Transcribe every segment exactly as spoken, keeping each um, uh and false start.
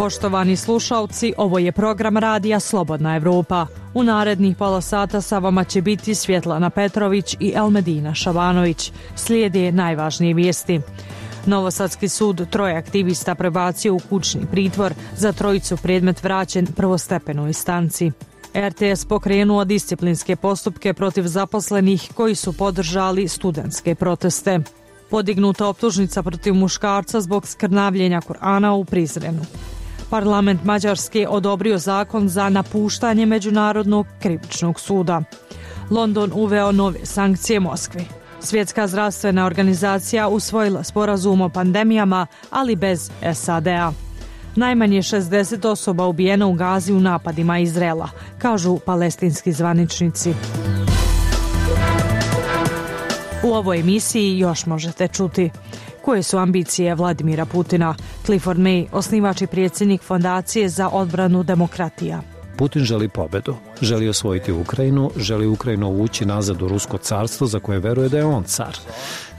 Poštovani slušalci, ovo je program radija Slobodna Evropa. U narednih pola sata sa vama će biti Svjetlana Petrović i Elmedina Šabanović. Slijede najvažnije vijesti. Novosadski sud troje aktivista prebacio u kućni pritvor, za trojicu predmet vraćen prvostepenoj instanci. er te es pokrenuo disciplinske postupke protiv zaposlenih koji su podržali studentske proteste. Podignuta optužnica protiv muškarca zbog skrnavljenja Kur'ana u Prizrenu. Parlament Mađarske odobrio zakon za napuštanje Međunarodnog krivičnog suda. London uveo nove sankcije Moskvi. Svjetska zdravstvena organizacija usvojila sporazum o pandemijama, ali bez es a de a. Najmanje šezdeset osoba ubijeno u Gazi u napadima Izraela, kažu palestinski zvaničnici. U ovoj emisiji još možete čuti koje su ambicije Vladimira Putina. Clifford May, osnivač i predsjednik Fondacije za odbranu demokratija. Putin želi pobedu, želi osvojiti Ukrajinu, želi Ukrajinu uvući nazad u Rusko carstvo za koje veruje da je on car.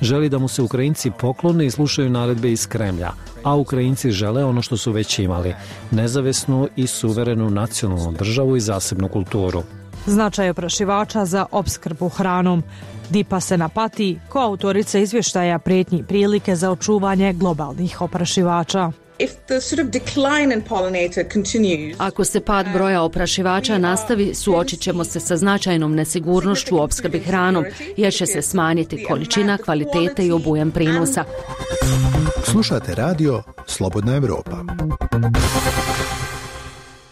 Želi da mu se Ukrajinci poklone i slušaju naredbe iz Kremlja, a Ukrajinci žele ono što su već imali, nezavisnu i suverenu nacionalnu državu i zasebnu kulturu. Značaj oprašivača za opskrbu hranom. Dipa Senapati, koautorica izvještaja prijetnji prilike za očuvanje globalnih oprašivača. Ako se pad broja oprašivača nastavi, suočit ćemo se sa značajnom nesigurnošću u opskrbi hranom, jer će se smanjiti količina, kvalitete i obujam prinosa. Slušate radio Slobodna Evropa.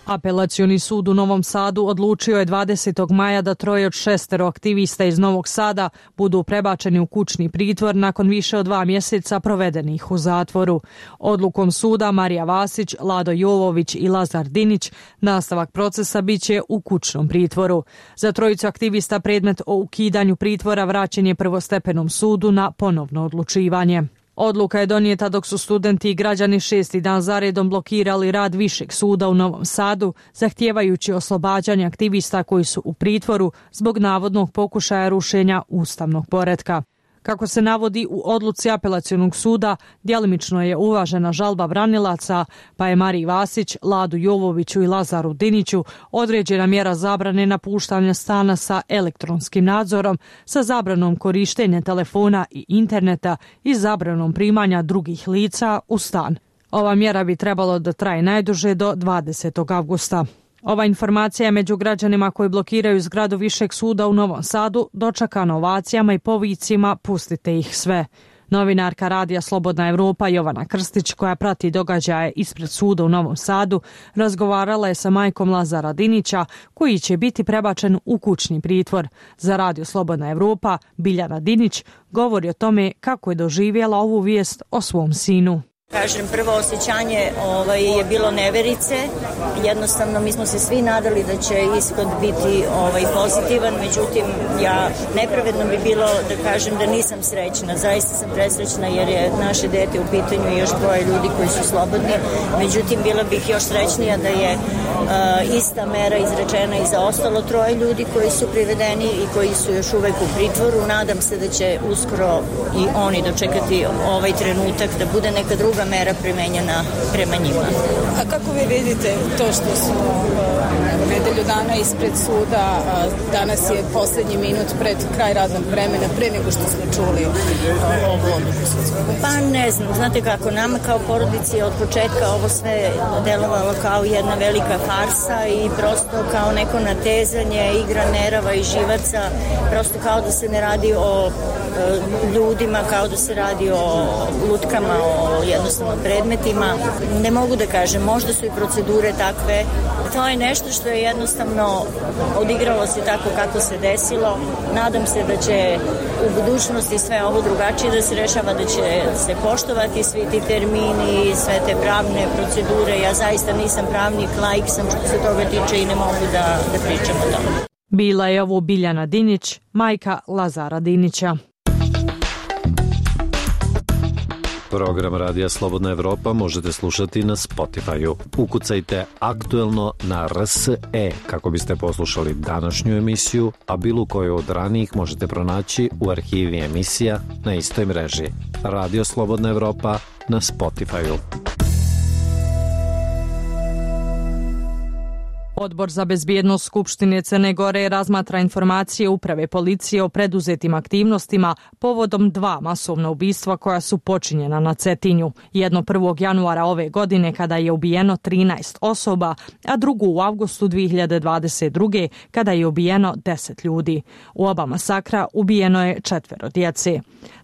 Apelacioni sud u Novom Sadu odlučio je dvadesetog maja da troje od šestero aktivista iz Novog Sada budu prebačeni u kućni pritvor nakon više od dva mjeseca provedenih u zatvoru. Odlukom suda Marija Vasić, Lado Jovović i Lazar Dinić nastavak procesa biće u kućnom pritvoru. Za trojicu aktivista predmet o ukidanju pritvora vraćen je prvostepenom sudu na ponovno odlučivanje. Odluka je donijeta dok su studenti i građani šesti dan zaredom blokirali rad Višeg suda u Novom Sadu, zahtijevajući oslobađanje aktivista koji su u pritvoru zbog navodnog pokušaja rušenja ustavnog poretka. Kako se navodi u odluci apelacionog suda, djelimično je uvažena žalba branilaca, pa je Mariji Vasić, Ladu Jovoviću i Lazaru Diniću određena mjera zabrane napuštanja stana sa elektronskim nadzorom, sa zabranom korištenja telefona i interneta i zabranom primanja drugih lica u stan. Ova mjera bi trebalo da traje najduže do dvadesetog avgusta. Ova informacija je među građanima koji blokiraju zgradu Višeg suda u Novom Sadu dočekana ovacijama i povicima "Pustite ih sve". Novinarka radija Slobodna Evropa Jovana Krstić, koja prati događaje ispred suda u Novom Sadu, razgovarala je sa majkom Lazara Dinića, koji će biti prebačen u kućni pritvor. Za radio Slobodna Evropa Biljana Dinić govori o tome kako je doživjela ovu vijest o svom sinu. Kažem, prvo osjećanje ovaj, je bilo neverice. Jednostavno, mi smo se svi nadali da će ishod biti ovaj, pozitivan, međutim, ja nepravedno bi bilo da kažem da nisam srećna. Zaista sam presrećna jer je naše dete u pitanju i još dvoje ljudi koji su slobodni. Međutim, bila bih još srećnija da je uh, ista mera izrečena i za ostalo troje ljudi koji su privedeni i koji su još uvek u pritvoru. Nadam se da će uskoro i oni dočekati ovaj trenutak da bude neka druga mera primenjena prema njima. A kako vi vidite to što su uh, nedelju dana ispred suda, uh, danas je posljednji minut pred kraj radnog vremena, pre nego što smo čuli uh, ovu odluku sudskog? Pa ne znam, znate kako, nama kao porodici od početka ovo sve delovalo kao jedna velika farsa i prosto kao neko natezanje, igra nerava i živaca, prosto kao da se ne radi o uh, ljudima, kao da se radi o lutkama, o jednostavno predmetima. Ne mogu da kažem, možda su i procedure takve. To je nešto što je jednostavno odigralo se tako kako se desilo. Nadam se da će u budućnosti sve ovo drugačije da se rešava, da će se poštovati svi ti termini, sve te pravne procedure. Ja zaista nisam pravnik, laik sam što se toga tiče i ne mogu da, da pričam o tome. Bila je ovo Biljana Dinić, majka Lazara Dinića. Program Radija Slobodna Evropa možete slušati na Spotify-u. Ukucajte aktuelno na R S E kako biste poslušali današnju emisiju, a bilo koju od ranijih možete pronaći u arhivi emisija na istoj mreži. Radio Slobodna Evropa na Spotify-u. Odbor za bezbjednost Skupštine Crne Gore razmatra informacije uprave policije o preduzetim aktivnostima povodom dva masovna ubistva koja su počinjena na Cetinju. Jedno prvog januara ove godine kada je ubijeno trinaest osoba, a drugu u avgustu dvije hiljade dvadeset druge kada je ubijeno deset ljudi. U oba masakra ubijeno je četvero djece.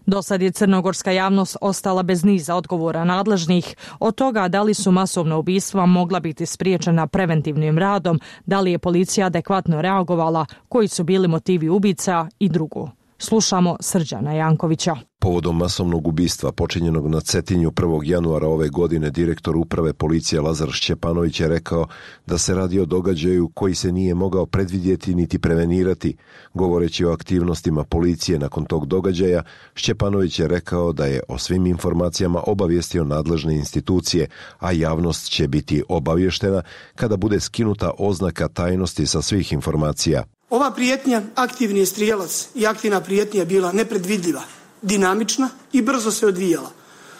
Do sad je crnogorska javnost ostala bez niza odgovora nadležnih od toga da li su masovna ubistva mogla biti spriječena preventivnim radom, da li je policija adekvatno reagovala, koji su bili motivi ubica i drugo. Slušamo Srđana Jankovića. Povodom masovnog ubistva počinjenog na Cetinju prvog januara ove godine direktor uprave policije Lazar Šćepanović je rekao da se radi o događaju koji se nije mogao predvidjeti niti prevenirati. Govoreći o aktivnostima policije nakon tog događaja, Šćepanović je rekao da je o svim informacijama obavijestio nadležne institucije, a javnost će biti obavještena kada bude skinuta oznaka tajnosti sa svih informacija. Ova prijetnja, aktivni je strijelac i aktivna prijetnja je bila nepredvidljiva, dinamična i brzo se odvijala,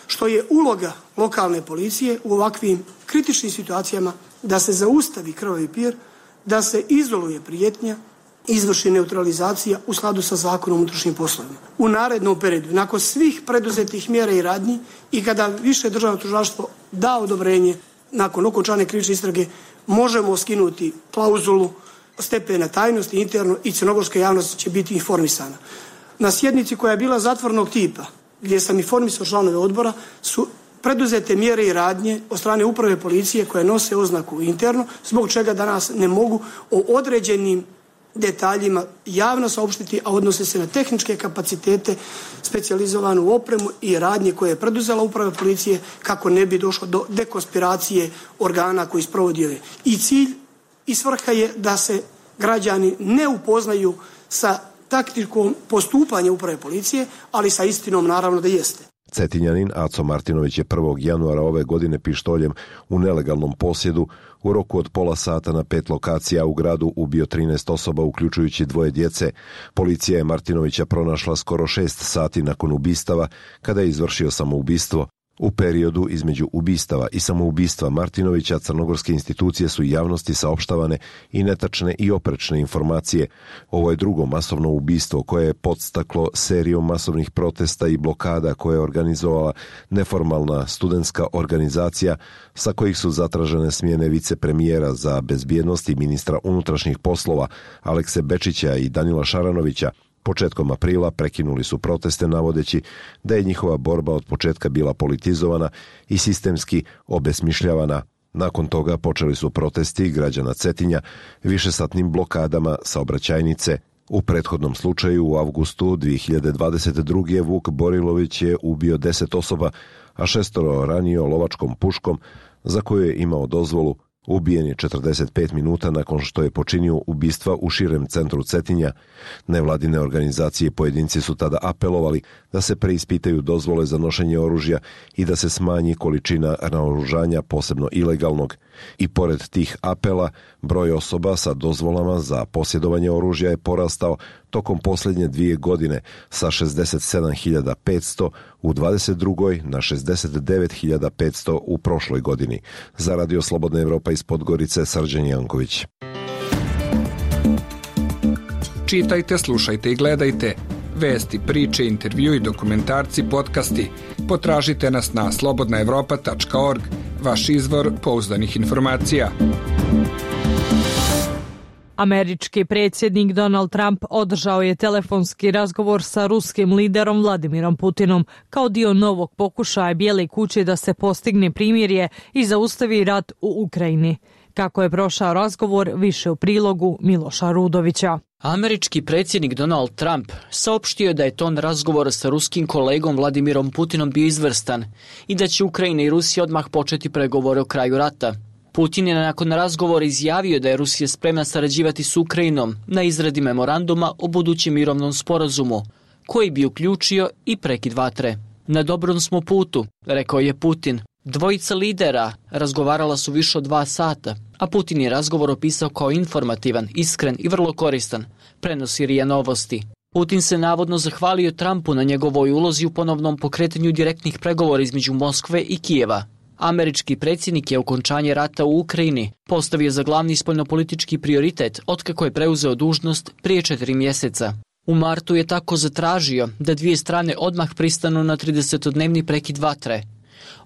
što je uloga lokalne policije u ovakvim kritičnim situacijama da se zaustavi krvavi pir, da se izoluje prijetnja, izvrši neutralizacija u skladu sa zakonom o unutrašnjim poslovima. U narednom periodu, nakon svih preduzetih mjera i radnji i kada više državno tužilaštvo da odobrenje nakon okončane krivične istrage, možemo skinuti klauzulu stepena tajnosti interno i crnogorska javnost će biti informisana. Na sjednici koja je bila zatvornog tipa, gdje sam informisao članove odbora, su preduzete mjere i radnje od strane uprave policije koje nose oznaku interno, zbog čega danas ne mogu o određenim detaljima javno saopštiti, a odnose se na tehničke kapacitete, specijalizovanu opremu i radnje koje je preduzela uprava policije kako ne bi došlo do dekonspiracije organa koji sprovodi ove. I cilj i svrha je da se građani ne upoznaju sa taktikom postupanja uprave policije, ali sa istinom naravno da jeste. Cetinjanin Aco Martinović je prvog januara ove godine pištoljem u nelegalnom posjedu u roku od pola sata na pet lokacija u gradu ubio trinaest osoba, uključujući dvoje djece. Policija je Martinovića pronašla skoro šest sati nakon ubistava, kada je izvršio samoubistvo. U periodu između ubistava i samoubistva Martinovića crnogorske institucije su javnosti saopštavane i netačne i oprečne informacije. Ovo je drugo masovno ubistvo koje je podstaklo serijom masovnih protesta i blokada koje je organizovala neformalna studentska organizacija sa kojih su zatražene smjene vicepremijera za bezbjednost i ministra unutrašnjih poslova Alekse Bečića i Danila Šaranovića. Početkom aprila prekinuli su proteste navodeći da je njihova borba od početka bila politizovana i sistemski obesmišljavana. Nakon toga počeli su protesti građana Cetinja višesatnim blokadama saobraćajnice. U prethodnom slučaju u avgustu dvije hiljade dvadeset druge Vuk Borilović je ubio deset osoba, a šestoro ranio lovačkom puškom za koju je imao dozvolu. Ubijen je četrdeset pet minuta nakon što je počinio ubistva u širem centru Cetinja. Nevladine organizacije i pojedinci su tada apelovali da se preispitaju dozvole za nošenje oružja i da se smanji količina naoružanja, posebno ilegalnog. I pored tih apela, broj osoba sa dozvolama za posjedovanje oružja je porastao tokom posljednje dvije godine sa šezdeset sedam hiljada petsto u dvadeset drugoj na šezdeset devet hiljada petsto u prošloj godini. Za Radio Slobodna Evropa iz Podgorice, Srđan Janković. Čitajte, slušajte i gledajte. Vesti, priče, intervjui, dokumentarci, podcasti. Potražite nas na slobodna evropa tačka org, vaš izvor pouzdanih informacija. Američki predsjednik Donald Trump održao je telefonski razgovor sa ruskim liderom Vladimirom Putinom kao dio novog pokušaja Bijele kuće da se postigne primirje i zaustavi rat u Ukrajini. Kako je prošao razgovor, više u prilogu Miloša Rudovića. Američki predsjednik Donald Trump saopštio je da je ton razgovora sa ruskim kolegom Vladimirom Putinom bio izvrstan i da će Ukrajina i Rusija odmah početi pregovore o kraju rata. Putin je nakon razgovora izjavio da je Rusija spremna sarađivati s Ukrajinom na izradi memoranduma o budućem mirovnom sporazumu, koji bi uključio i prekid vatre. Na dobrom smo putu, rekao je Putin. Dvojica lidera razgovarala su više od dva sata, a Putin je razgovor opisao kao informativan, iskren i vrlo koristan, prenosi R I A Novosti. Putin se navodno zahvalio Trumpu na njegovoj ulozi u ponovnom pokretanju direktnih pregovora između Moskve i Kijeva. Američki predsjednik je okončanje rata u Ukrajini postavio za glavni spoljnopolitički prioritet otkako je preuzeo dužnost prije četiri mjeseca. U martu je tako zatražio da dvije strane odmah pristanu na tridesetodnevni prekid vatre.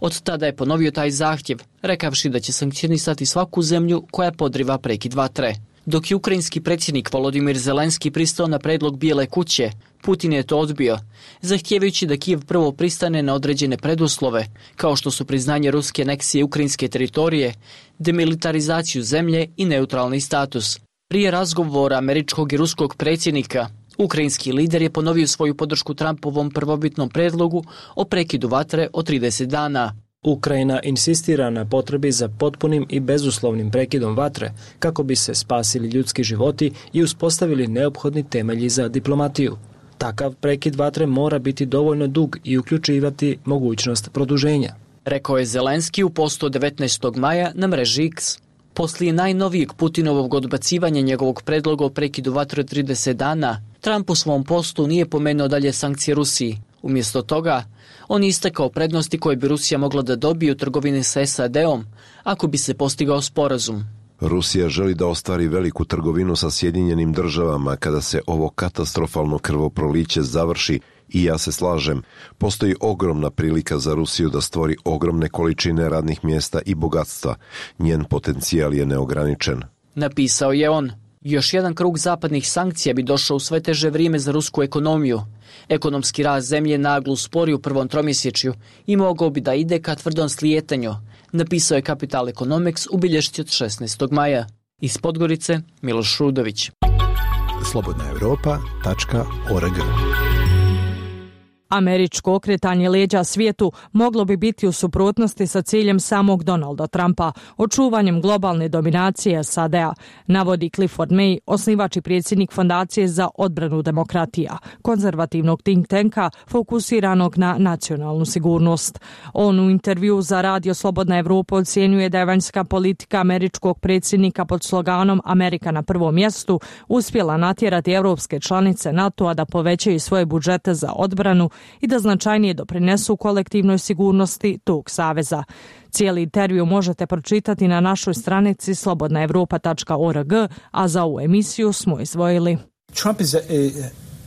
Od tada je ponovio taj zahtjev, rekavši da će sankcionisati svaku zemlju koja podriva prekid vatre. Dok je ukrajinski predsjednik Volodimir Zelenski pristao na predlog Bijele kuće, Putin je to odbio, zahtijevajući da Kijev prvo pristane na određene preduslove, kao što su priznanje ruske aneksije ukrajinske teritorije, demilitarizaciju zemlje i neutralni status. Prije razgovora američkog i ruskog predsjednika, ukrajinski lider je ponovio svoju podršku Trumpovom prvobitnom predlogu o prekidu vatre od trideset dana. Ukrajina insistira na potrebi za potpunim i bezuslovnim prekidom vatre kako bi se spasili ljudski životi i uspostavili neophodni temelji za diplomatiju. Takav prekid vatre mora biti dovoljno dug i uključivati mogućnost produženja, rekao je Zelenski u postu devetnaestog maja na mreži X. Poslije najnovijeg Putinovog odbacivanja njegovog predloga o prekidu vatre od trideset dana, Trump u svom postu nije pomenuo dalje sankcije Rusiji. Umjesto toga, on je istakao prednosti koje bi Rusija mogla da dobije u trgovini sa S A D-om ako bi se postigao sporazum. Rusija želi da ostvari veliku trgovinu sa Sjedinjenim državama kada se ovo katastrofalno krvoproliće završi i ja se slažem, postoji ogromna prilika za Rusiju da stvori ogromne količine radnih mjesta i bogatstva. Njen potencijal je neograničen. Napisao je on. Još jedan krug zapadnih sankcija bi došao u sve teže vrijeme za rusku ekonomiju. Ekonomski rast zemlje naglo uspori u prvom tromjesečju i mogao bi da ide ka tvrdom slijetanju, napisao je Capital Economics u bilješci od šesnaestog maja. Iz Podgorice, Miloš Rudović. slobodna europa tačka org. Američko okretanje leđa svijetu moglo bi biti u suprotnosti sa ciljem samog Donalda Trumpa, očuvanjem globalne dominacije S A D-a, navodi Clifford May, osnivač i predsjednik Fondacije za odbranu demokratija, konzervativnog think tanka fokusiranog na nacionalnu sigurnost. On u intervju za radio Slobodna Evropa ocjenjuje da je vanjska politika američkog predsjednika pod sloganom Amerika na prvom mjestu uspjela natjerati europske članice NATO-a da povećaju svoje budžete za odbranu i da značajnije doprinesu kolektivnoj sigurnosti tog saveza. Cijeli intervju možete pročitati na našoj stranici slobodna europa tačka org, a za ovu emisiju smo izdvojili. Trump is,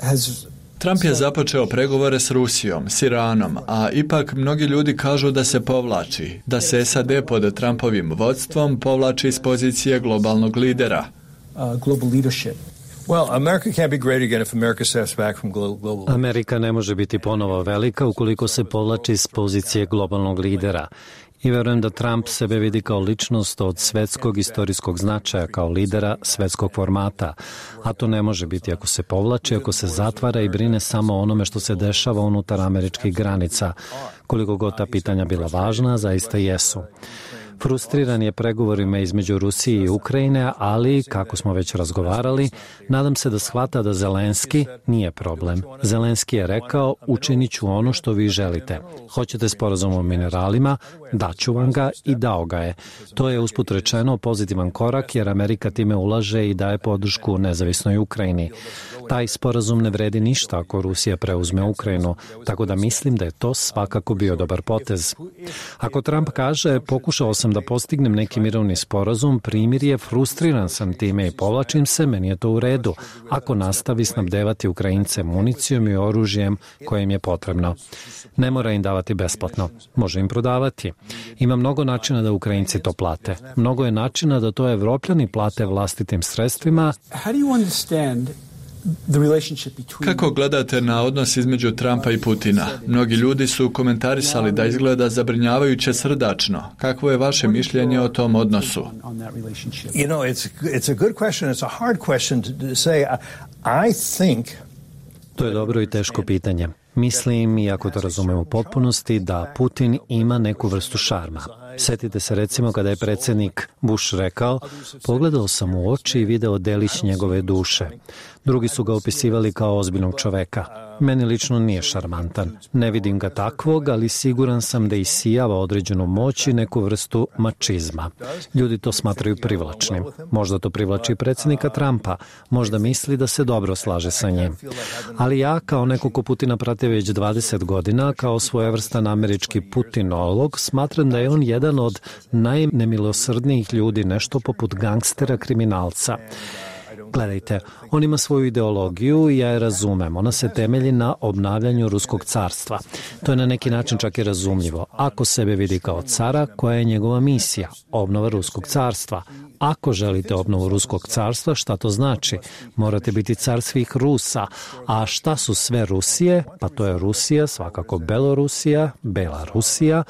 has Trump je započeo pregovore s Rusijom, s Iranom, a ipak mnogi ljudi kažu da se povlači, da se S A D pod Trumpovim vodstvom povlači iz pozicije globalnog lidera. Uh, global leadership. Well, America can't be great again if America steps back from global. Amerika ne može biti ponovo velika ukoliko se povlači iz pozicije globalnog lidera. I verujem da Trump sebe vidi kao ličnost od svetskog istorijskog značaja, kao lidera svetskog formata. A to ne može biti ako se povlači, ako se zatvara i brine samo o onome što se dešava unutar američkih granica. Koliko god ta pitanja bila važna, zaista jesu. Frustriran je pregovorima između Rusije i Ukrajine, ali, kako smo već razgovarali, nadam se da shvata da Zelenski nije problem. Zelenski je rekao, učinit ću ono što vi želite. Hoćete sporazum o mineralima, daću vam ga i dao ga je. To je usput rečeno pozitivan korak jer Amerika time ulaže i daje podršku nezavisnoj Ukrajini. Taj sporazum ne vredi ništa ako Rusija preuzme Ukrajinu, tako da mislim da je to svakako bio dobar potez. Ako Trump kaže, pokušao sam da postignem neki mirovni sporazum, primjer je, frustriran sam time i povlačim se, meni je to u redu, ako nastavi snabdevati Ukrajince municijom i oružjem koje im je potrebno. Ne mora im davati besplatno, može im prodavati. Ima mnogo načina da Ukrajinci to plate. Mnogo je načina da to Evropljani plate vlastitim sredstvima. How do you understand Kako gledate na odnos između Trumpa i Putina? Mnogi ljudi su komentarisali da izgleda zabrinjavajuće srdačno. Kakvo je vaše mišljenje o tom odnosu? You know, it's it's a good question. It's a hard question to say. I think To je dobro i teško pitanje. Mislim, iako to razumem u potpunosti, da Putin ima neku vrstu šarma. Sjetite se recimo kada je predsjednik Bush rekao, pogledao sam u oči i video delić njegove duše. Drugi su ga opisivali kao ozbiljnog čoveka. Meni lično nije šarmantan. Ne vidim ga takvog, ali siguran sam da isijava određenu moć i neku vrstu mačizma. Ljudi to smatraju privlačnim. Možda to privlači predsjednika Trumpa. Možda misli da se dobro slaže sa njim. Ali ja, kao neko ko Putina prati već dvadeset godina, kao svojevrstan američki putinolog, smatram da je on jedan od najnemilosrdnijih ljudi, nešto poput gangstera, kriminalca. Gledajte, on ima svoju ideologiju i ja je razumem. Ona se temelji na obnavljanju Ruskog carstva. To je na neki način čak i razumljivo. Ako sebe vidi kao cara, koja je njegova misija? Obnova Ruskog carstva. Ako želite obnovu Ruskog carstva, šta to znači? Morate biti car svih Rusa. A šta su sve Rusije? Pa to je Rusija, svakako Belorusija, Belarusija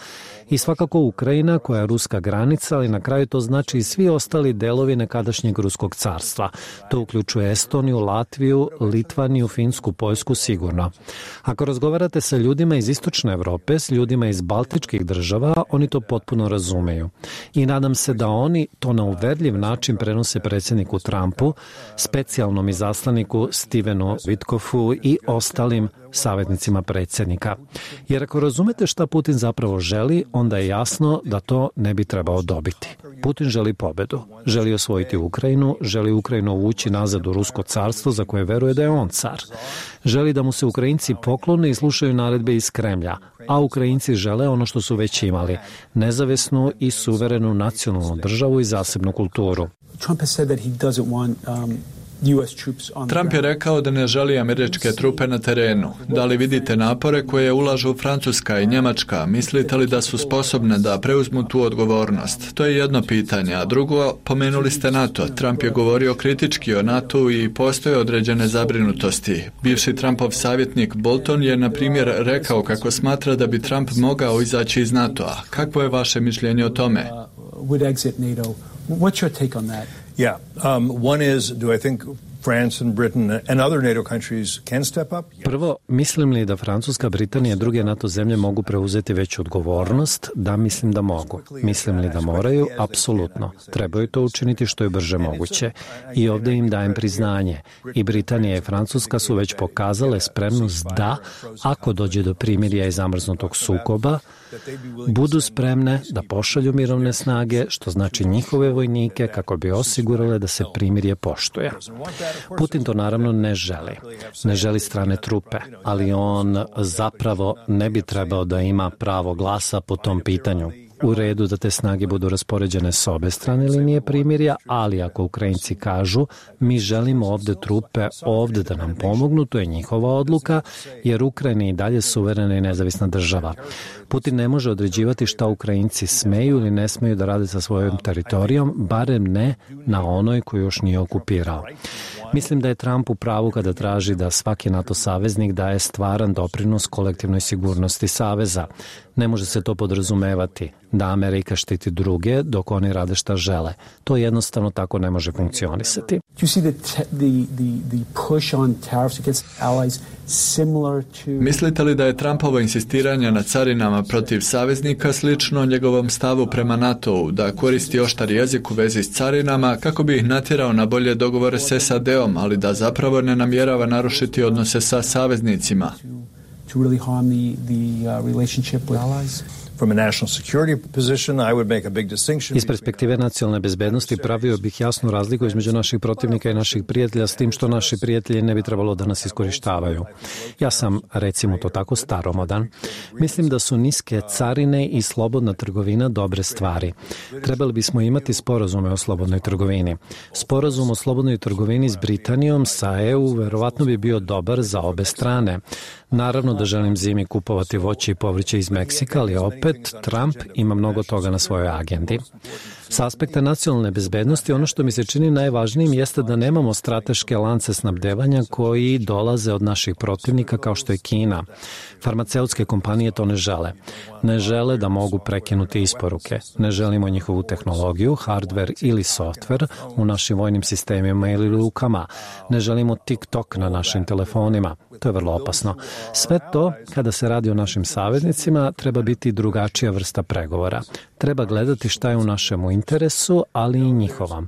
i svakako Ukrajina koja je ruska granica, ali na kraju to znači i svi ostali delovi nekadašnjeg Ruskog carstva. To uključuje Estoniju, Latviju, Litvaniju, Finsku, Poljsku sigurno. Ako razgovarate sa ljudima iz Istočne Europe, s ljudima iz Baltičkih država, oni to potpuno razumeju. I nadam se da oni to na uverljiv način prenose predsjedniku Trumpu, specijalnom izaslaniku Stevenu Witkoffu i ostalim savjetnicima predsjednika. Jer ako razumete šta Putin zapravo želi, onda je jasno da to ne bi trebao dobiti. Putin želi pobedu, želi osvojiti Ukrajinu, želi Ukrajinu uvući nazad u Rusko carstvo za koje veruje da je on car. Želi da mu se Ukrajinci poklone i slušaju naredbe iz Kremlja, a Ukrajinci žele ono što su već imali, nezavisnu i suverenu nacionalnu državu i zasebnu kulturu. Trump has said that he doesn't want um... Trump je rekao da ne želi američke trupe na terenu. Da li vidite napore koje ulažu Francuska i Njemačka? Mislite li da su sposobne da preuzmu tu odgovornost? To je jedno pitanje. A drugo, pomenuli ste NATO. Trump je govorio kritički o NATO i postoje određene zabrinutosti. Bivši Trumpov savjetnik Bolton je, na primjer, rekao kako smatra da bi Trump mogao izaći iz NATO-a. Kakvo je vaše mišljenje o tome? What's your take on that? Yeah, um, one is, do I think France and Britain and other NATO countries can step up? Prvo, mislim li da Francuska, Britanija i druge NATO zemlje mogu preuzeti veću odgovornost? Da, mislim da mogu. Mislim li da moraju? Apsolutno. Trebaju to učiniti što je brže moguće. I ovdje im dajem priznanje. I Britanija i Francuska su već pokazale spremnost da, ako dođe do primirja i zamrznutog sukoba, budu spremne da pošalju mirovne snage, što znači njihove vojnike, kako bi osigurale da se primirje poštuje. Putin to naravno ne želi. Ne želi strane trupe, ali on zapravo ne bi trebao da ima pravo glasa po tom pitanju. U redu da te snage budu raspoređene s obe strane linije primirja, ali ako Ukrajinci kažu mi želimo ovde trupe ovde da nam pomognu, to je njihova odluka, jer Ukrajina je i dalje suverena i nezavisna država. Putin ne može određivati šta Ukrajinci smeju ili ne smeju da rade sa svojom teritorijom, barem ne na onoj koju još nije okupirao. Mislim da je Trump u pravu kada traži da svaki NATO saveznik daje stvaran doprinos kolektivnoj sigurnosti saveza. Ne može se to podrazumevati da Amerika štiti druge dok oni rade šta žele. To jednostavno tako ne može funkcionisati. Mislite li da je Trumpovo insistiranje na carinama protiv saveznika slično njegovom stavu prema NATO-u, da koristi oštar jezik u vezi s carinama kako bi ih natjerao na bolje dogovore s S A D-om, ali da zapravo ne namjerava narušiti odnose sa saveznicima? To really harm the, the uh, relationship with allies? From a national security position, I would make a big distinction. Iz perspektive nacionalne bezbednosti pravio bih jasnu razliku između naših protivnika i naših prijatelja, s tim što naši prijatelji ne bi trebalo da nas iskorištavaju. Ja sam, recimo to tako, staromodan. Mislim da su niske carine i slobodna trgovina dobre stvari. Trebali bismo imati sporazume o slobodnoj trgovini. Sporazum o slobodnoj trgovini s Britanijom, sa E U, verovatno bi bio dobar za obe strane. Naravno da želim zimi kupovati voće i povrće iz Meksika, ali opet Trump ima mnogo toga na svojoj agendi. S aspekta nacionalne bezbednosti, ono što mi se čini najvažnijim jeste da nemamo strateške lance snabdevanja koji dolaze od naših protivnika kao što je Kina. Farmaceutske kompanije to ne žele. Ne žele da mogu prekinuti isporuke. Ne želimo njihovu tehnologiju, hardware ili software u našim vojnim sistemima ili lukama. Ne želimo TikTok na našim telefonima. To je vrlo opasno. Sve to, kada se radi o našim saveznicima, treba biti drugačija vrsta pregovora. Treba gledati šta je u našemu interesu, ali i njihovom.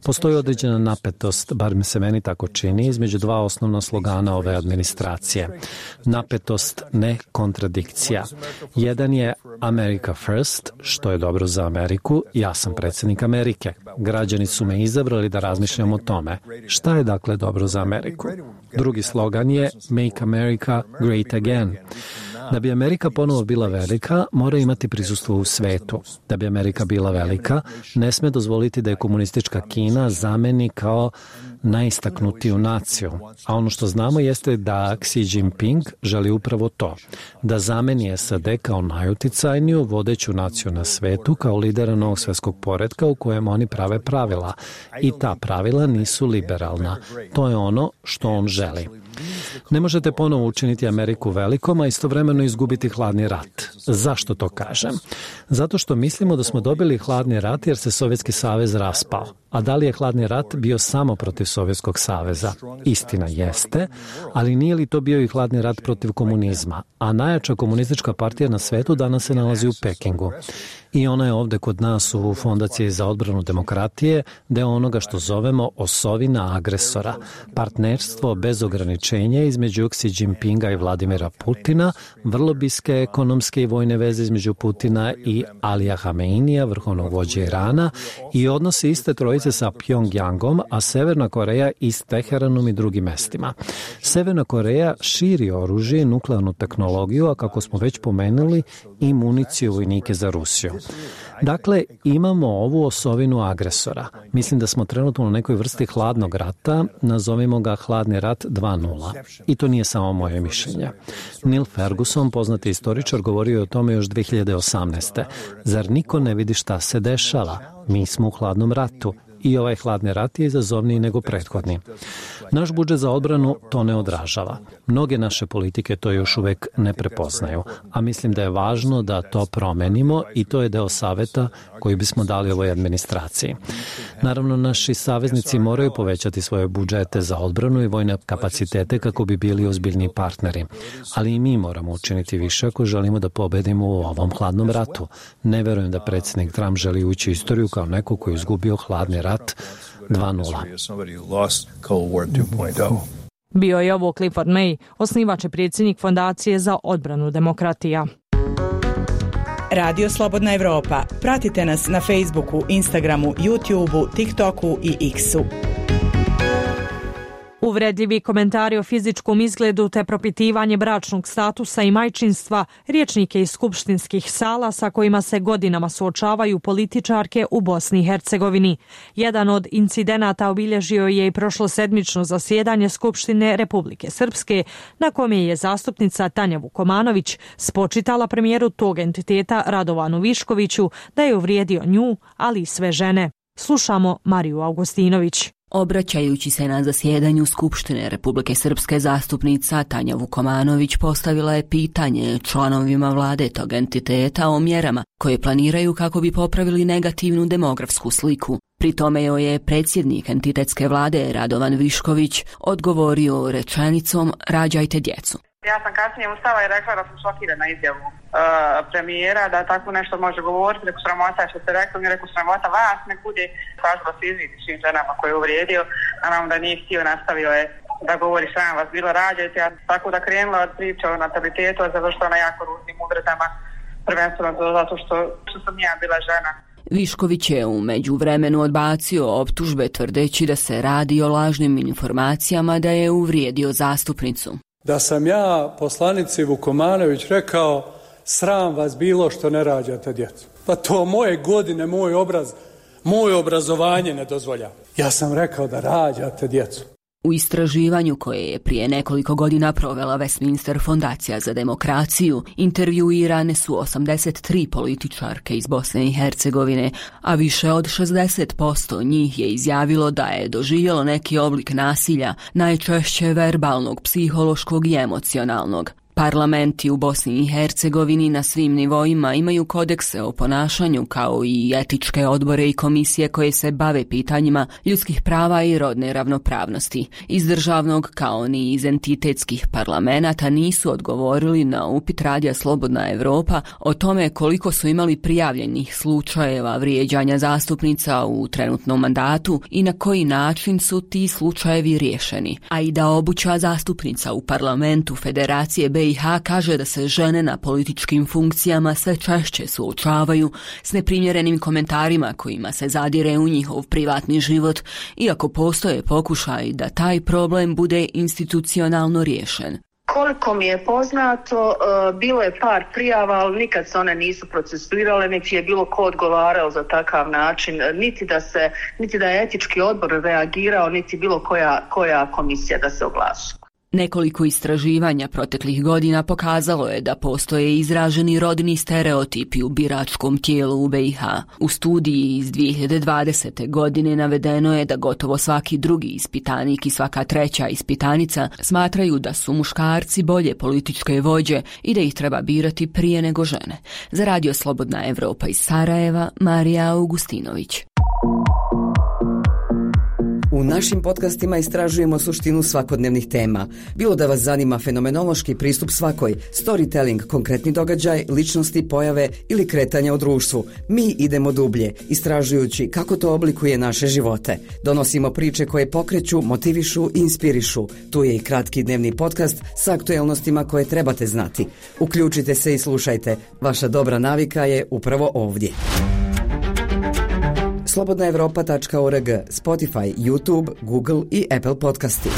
Postoji određena napetost, bar mi se meni tako čini, između dva osnovna slogana ove administracije. Napetost, ne kontradikcija. Jedan je America First, što je dobro za Ameriku, ja sam predsjednik Amerike. Građani su me izabrali da razmišljam o tome. Šta je dakle dobro za Ameriku? Drugi slogan je Make America Great Again. Da bi Amerika ponovo bila velika, mora imati prisustvo u svetu. Da bi Amerika bila velika, ne sme dozvoliti da je komunistička Kina zameni kao najistaknutiju naciju. A ono što znamo jeste da Xi Jinping želi upravo to. Da zameni S A D kao najuticajniju vodeću naciju na svetu, kao lidera novog svjetskog poretka u kojem oni prave pravila. I ta pravila nisu liberalna. To je ono što on želi. Ne možete ponovo učiniti Ameriku velikom, a istovremeno izgubiti hladni rat. Zašto to kažem? Zato što mislimo da smo dobili hladni rat jer se Sovjetski savez raspao. A da li je hladni rat bio samo protiv Sovjetskog saveza? Istina jeste, ali nije li to bio i hladni rat protiv komunizma? A najjača komunistička partija na svetu danas se nalazi u Pekingu. I ona je ovde kod nas u Fondaciji za odbranu demokratije deo onoga što zovemo osovina agresora. Partnerstvo bez ograničenja između Xi Jinpinga i Vladimira Putina, vrlo bliske ekonomske i vojne veze između Putina i Alija Hameinija, vrhovnog vođe Irana, i odnosi iste trojice sa Pjongjangom, a Severna Koreja i s Teheranom i drugim mestima. Severna Koreja širi oružje i nuklearnu tehnologiju, a kako smo već pomenuli, i municiju vojnike za Rusiju. Dakle, imamo ovu osovinu agresora. Mislim da smo trenutno u nekoj vrsti hladnog rata, nazovimo ga hladni rat dva nula. I to nije samo moje mišljenje. Neil Ferguson, poznati istoričar, govorio je o tome još dve hiljade osamnaeste. Zar niko ne vidi šta se dešava? Mi smo u hladnom ratu. I ovaj hladni rat je izazovniji nego prethodni. Naš budžet za odbranu to ne odražava. Mnoge naše politike to još uvek ne prepoznaju, a mislim da je važno da to promenimo i to je deo saveta koji bismo dali ovoj administraciji. Naravno, naši saveznici moraju povećati svoje budžete za odbranu i vojne kapacitete kako bi bili ozbiljni partneri. Ali i mi moramo učiniti više ako želimo da pobedimo u ovom hladnom ratu. Ne verujem da predsjednik Trump želi ući u istoriju kao neko koji je izgubio hladni rat dva nula. Bio je ovo Clifford May, osnivač i predsjednik Fondacije za odbranu demokratija. Radio Slobodna Evropa. Pratite nas na Facebooku, Instagramu, YouTubeu, TikToku i X-u. Uvredljivi komentari o fizičkom izgledu te propitivanje bračnog statusa i majčinstva, rječnike iz skupštinskih sala sa kojima se godinama suočavaju političarke u Bosni i Hercegovini. Jedan od incidenata obilježio je i prošlosedmično zasjedanje Skupštine Republike Srpske, na kome je zastupnica Tanja Vukomanović spočitala premijeru tog entiteta Radovanu Viškoviću da je uvrijedio nju, ali i sve žene. Slušamo Mariju Augustinović. Obraćajući se na zasjedanju Skupštine Republike Srpske, zastupnica Tanja Vukomanović postavila je pitanje članovima vlade tog entiteta o mjerama koje planiraju kako bi popravili negativnu demografsku sliku. Pri tome joj je predsjednik entitetske vlade Radovan Višković odgovorio rečenicom "rađajte djecu". Ja sam kasnije ustala i rekla da sam šokirana izjavu uh, premijera da tako nešto može govoriti. Reku sramota što ste rekli, mi reku sramota vas ne bude. Tražila se izviti svim ženama koje je uvrijedio, naravno da nije htio, nastavio je da govori sram vas bilo rađajte. Ja tako da krenula od priče o natalitetu, a završila na jako ružnim uvredama, prvenstveno zato što, što sam ja bila žena. Višković je u međuvremenu odbacio optužbe tvrdeći da se radi o lažnim informacijama da je uvrijedio zastupnicu. Da sam ja poslanici Vukomanović rekao sram vas bilo što ne rađate djecu. Pa to moje godine, moj obraz, moje obrazovanje ne dozvolja. Ja sam rekao da rađate djecu. U istraživanju koje je prije nekoliko godina provela Westminster Fondacija za demokraciju, intervjuirane su osamdeset tri političarke iz Bosne i Hercegovine, a više od šezdeset posto njih je izjavilo da je doživjelo neki oblik nasilja, najčešće verbalnog, psihološkog i emocionalnog. Parlamenti u Bosni i Hercegovini na svim nivoima imaju kodekse o ponašanju kao i etičke odbore i komisije koje se bave pitanjima ljudskih prava i rodne ravnopravnosti. Iz državnog kao ni iz entitetskih parlamenata nisu odgovorili na upit radija Slobodna Evropa o tome koliko su imali prijavljenih slučajeva vrijeđanja zastupnica u trenutnom mandatu i na koji način su ti slučajevi riješeni. A i da obuća zastupnica u parlamentu Federacije B i H kaže da se žene na političkim funkcijama sve češće suočavaju s neprimjerenim komentarima kojima se zadire u njihov privatni život, iako postoje pokušaj da taj problem bude institucionalno riješen. Koliko mi je poznato, bilo je par prijava, ali nikad se one nisu procesuirale, niti je bilo ko odgovarao za takav način, niti da se, niti da je etički odbor reagirao, niti bilo koja, koja komisija da se oglasi. Nekoliko istraživanja proteklih godina pokazalo je da postoje izraženi rodni stereotipi u biračkom tijelu u B i H. U studiji iz dvije hiljade dvadesete. godine navedeno je da gotovo svaki drugi ispitanik i svaka treća ispitanica smatraju da su muškarci bolje političke vođe i da ih treba birati prije nego žene. Za Radio Slobodna Evropa iz Sarajeva, Marija Augustinović. U našim podcastima istražujemo suštinu svakodnevnih tema. Bilo da vas zanima fenomenološki pristup svakoj, storytelling, konkretni događaj, ličnosti, pojave ili kretanja u društvu. Mi idemo dublje, istražujući kako to oblikuje naše živote. Donosimo priče koje pokreću, motivišu i inspirišu. Tu je i kratki dnevni podcast sa aktuelnostima koje trebate znati. Uključite se i slušajte. Vaša dobra navika je upravo ovdje. slobodna evropa tačka org, Spotify, YouTube, Google i Apple podcasti.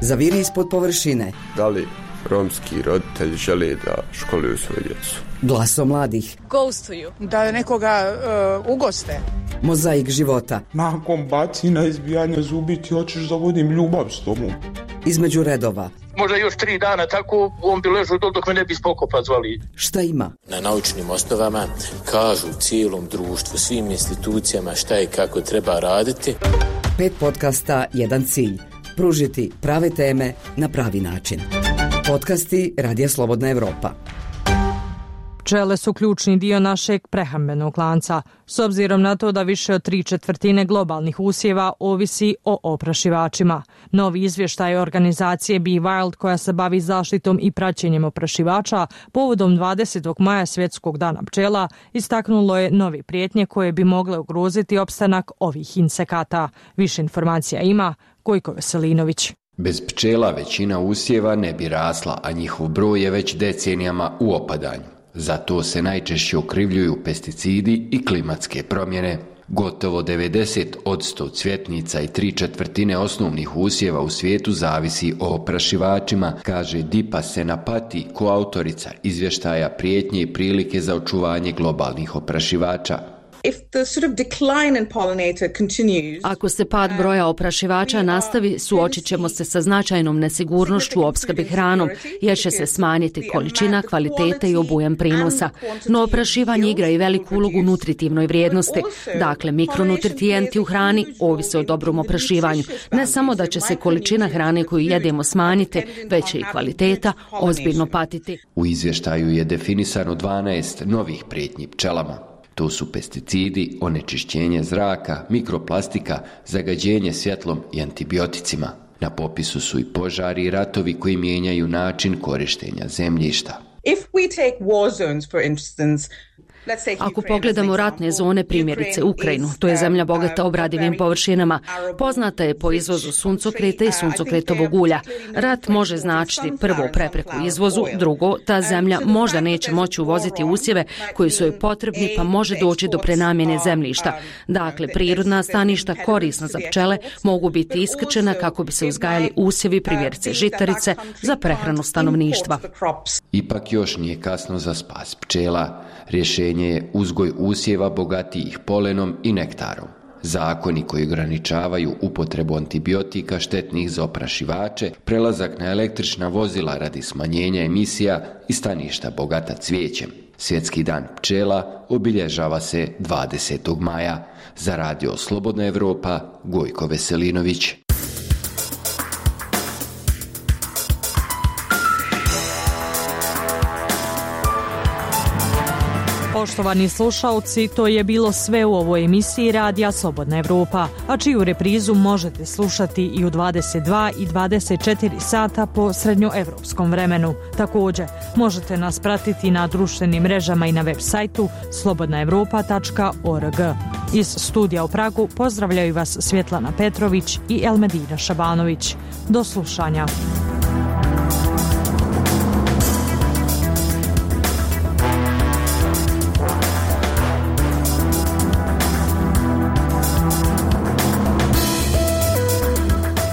Zaviri ispod površine. Da li romski roditelji žele da školuju svoju djecu? Glaso mladih. Ghostuju. Da nekoga uh, ugoste. Mozaik života. Nakon bacina, izbijanja zubi ti hoćeš da vodim ljubav s tobom. Između redova. Možda još tri dana tako, on bi ležao dok me ne bi spokopa zvali. Šta ima? Na naučnim osnovama kažu cijelom društvu, svim institucijama šta i kako treba raditi. Pet podcasta, jedan cilj. Pružiti prave teme na pravi način. Podcasti Radija Slobodna Evropa. Pčele su ključni dio našeg prehrambenog lanca, s obzirom na to da više od tri četvrtine globalnih usjeva ovisi o oprašivačima. Novi izvještaj organizacije Be Wild, koja se bavi zaštitom i praćenjem oprašivača, povodom dvadesetog maja svjetskog dana pčela, istaknulo je novi prijetnje koje bi mogle ugroziti opstanak ovih insekata. Više informacija ima Gojko Veselinović. Bez pčela većina usjeva ne bi rasla, a njihov broj je već decenijama u opadanju. Zato se najčešće okrivljuju pesticidi i klimatske promjene. Gotovo devedeset posto cvjetnica i tri četvrtine osnovnih usjeva u svijetu zavisi o oprašivačima, kaže Dipa Senapati, koautorica izvještaja Prijetnje i prilike za očuvanje globalnih oprašivača. Ako se pad broja oprašivača nastavi, suočit ćemo se sa značajnom nesigurnošću u opskrbi hranom, jer će se smanjiti količina, kvaliteta i obujam prinosa. No oprašivanje igra i veliku ulogu u nutritivnoj vrijednosti. Dakle, mikronutritijenti u hrani ovise o dobrom oprašivanju. Ne samo da će se količina hrane koju jedemo smanjiti, već će i kvaliteta ozbiljno patiti. U izvještaju je definisano dvanaest novih prijetnji pčelama. To su pesticidi, onečišćenje zraka, mikroplastika, zagađenje svjetlom i antibioticima. Na popisu su i požari i ratovi koji mijenjaju način korištenja zemljišta. If we take war zones, for instance, Ako pogledamo ratne zone, primjerice Ukrajinu, to je zemlja bogata obradivim površinama, poznata je po izvozu suncokreta i suncokretovog ulja. Rat može značiti prvo prepreku izvozu, drugo, ta zemlja možda neće moći uvoziti usjeve koji su joj potrebni, pa može doći do prenamjene zemljišta. Dakle, prirodna staništa korisna za pčele mogu biti iskrčena kako bi se uzgajali usjevi, primjerice žitarice, za prehranu stanovništva. Ipak još nije kasno za spas pčela. Rješenje je uzgoj usjeva bogatijih polenom i nektarom. Zakoni koji ograničavaju upotrebu antibiotika štetnih za oprašivače, prelazak na električna vozila radi smanjenja emisija i staništa bogata cvijećem. Svjetski dan pčela obilježava se dvadesetog maja. Za Radio Slobodna Evropa, Gojko Veselinović. Poštovani slušalci, to je bilo sve u ovoj emisiji Radija Slobodna Evropa, a čiju reprizu možete slušati i u dvadeset dva i dvadeset četiri sata po srednjoevropskom vremenu. Također, možete nas pratiti na društvenim mrežama i na web sajtu slobodna evropa tačka org. Iz studija u Pragu pozdravljaju vas Svjetlana Petrović i Elmedina Šabanović. Do slušanja.